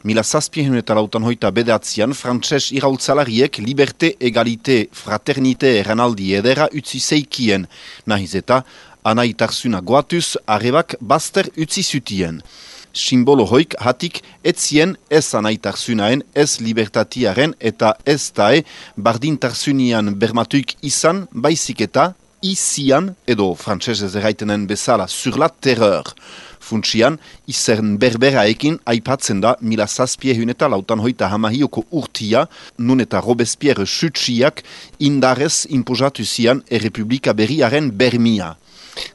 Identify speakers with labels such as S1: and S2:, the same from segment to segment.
S1: 1769 frantses iraultzalariek liberté, égalité, fraternité eranaldi edera utzi zeikien, nahiz eta anaitarsuna goatuz arrebak bazter utzi zutien. Simbolo hoik hatik etzien ez anaitarsunaen, ez libertatiaren eta ez dae bardintarsunian bermatuik izan, baizik eta izian, edo frantsesez erraitenen bezala, sur la terreur. Funtsian, izern berberaekin aipatzen da 1793 urtia, nun eta Robespierre sutsiak indarez inposatu zian errepublika berriaren bermia.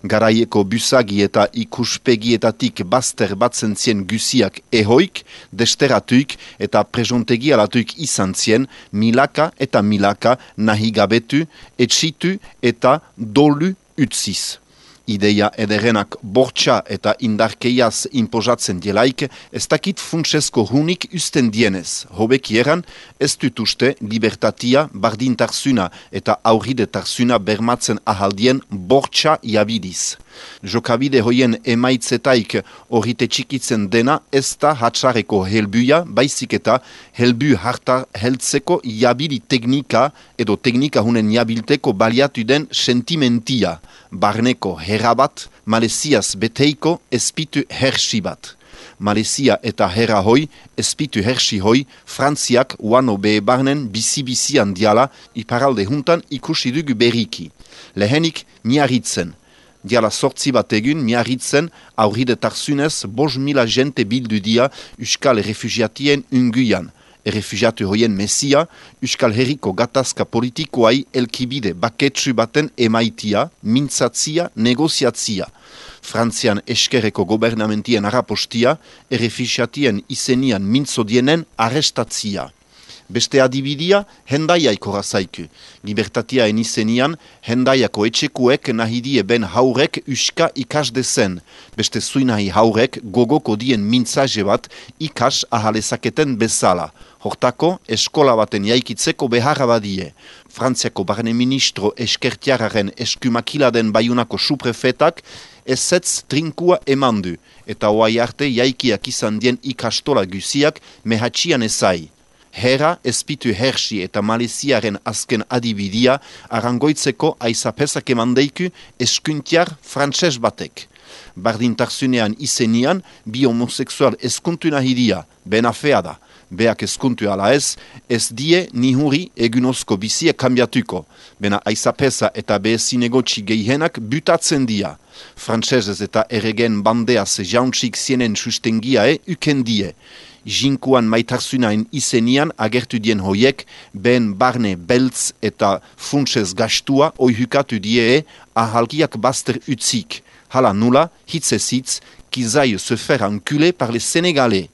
S1: Garaieko busagi eta ikuspegietatik bazter batzen zien guziak ehoik, desteratuik eta prejontegi alatuik izan zien milaka eta milaka nahigabetu, etsitu eta dolu utziz. Ideia ederenak bortxa eta indarkeiaz inposatzen dielaik, ez dakit funtsesko hunik usten dienez. Hobeki eran, ez dut uste libertatia, bardintarsuna eta aurridetarsuna bermatzen ahaldien bortxa jabidiz. Jokabide hoien emaitzetaik horite txikitzen dena ez da hatsareko helbuia, baizik eta helbu hartar heltzeko jabili teknika edo teknika hunen jabilteko baliatu den sentimentia. Barneko herrabat, Maleziaz beteiko espitu hersi bat. Malezia eta herra hoi, espitu hersi hoi, Frantziak uano behe barnen bizi-bizian diala iparalde juntan ikusi dugu berriki. Lehenik miarritzen. Diala sortzi bat egun miarritzen aurridetarzunez 5.000 jente bildu dia Euskal refugiatien unguian. Refugiatu hoien mesia, Euskal Herriko gatazka politikoai elkibide baketsu baten emaitia, mintzatzia, negoziatzia. Frantzian eskerreko gobernamentien arapostia, refugiatien izenian mintzodienen arrestatzia. Beste adibidia, hendaiaiko razaiku. Libertatiaen izenian, hendaiako etxekuek nahidie ben haurek uska ikas dezen. Beste zuinahi haurek gogoko dien mintzaje bat ikas ahalezaketen bezala. Hortako, eskola baten jaikitzeko beharra badie. Frantziako barne ministro eskertiararen eskumakiladen baiunako suprefetak ezetz trinkua emandu, eta oai arte jaikiak izan dien ikastola guziak mehatxian ezai. Herra, espitu hersi eta Maleziaren azken adibidia arangoitzeko aizapesak emandeiku eskuntiar frantses batek. Bardintarsunean izenian, bi homoseksual eskuntu nahidia, benafea da. Beak eskuntu ala ez die nihuri egunozko bizie kambiatuko. Bena aizapesa eta behezinegotxi gehienak butatzen dia. Frantsesez eta erregen bandeaz jauntxik zienen sustengiae ukendie. Jinkuan maitarsunain izenian agertu dien hoiek, ben barne beltz eta funtsez gastua oihukatu die ahalkiak bazter utzik. Hala nula, hitzezitz, kizaille se faire enculer par les Sénégalais.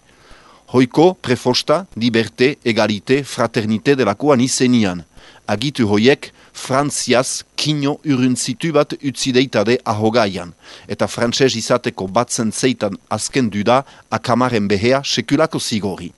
S1: Hoiko prefosta, liberté, égalité, fraternité delakoan izenian. Agitu hoiek, Frantziaz kino uruntzitu bat utzideitade ahogaian. Eta frantses izateko batzen zeitan azken duda, akamaren behea sekulako zigori.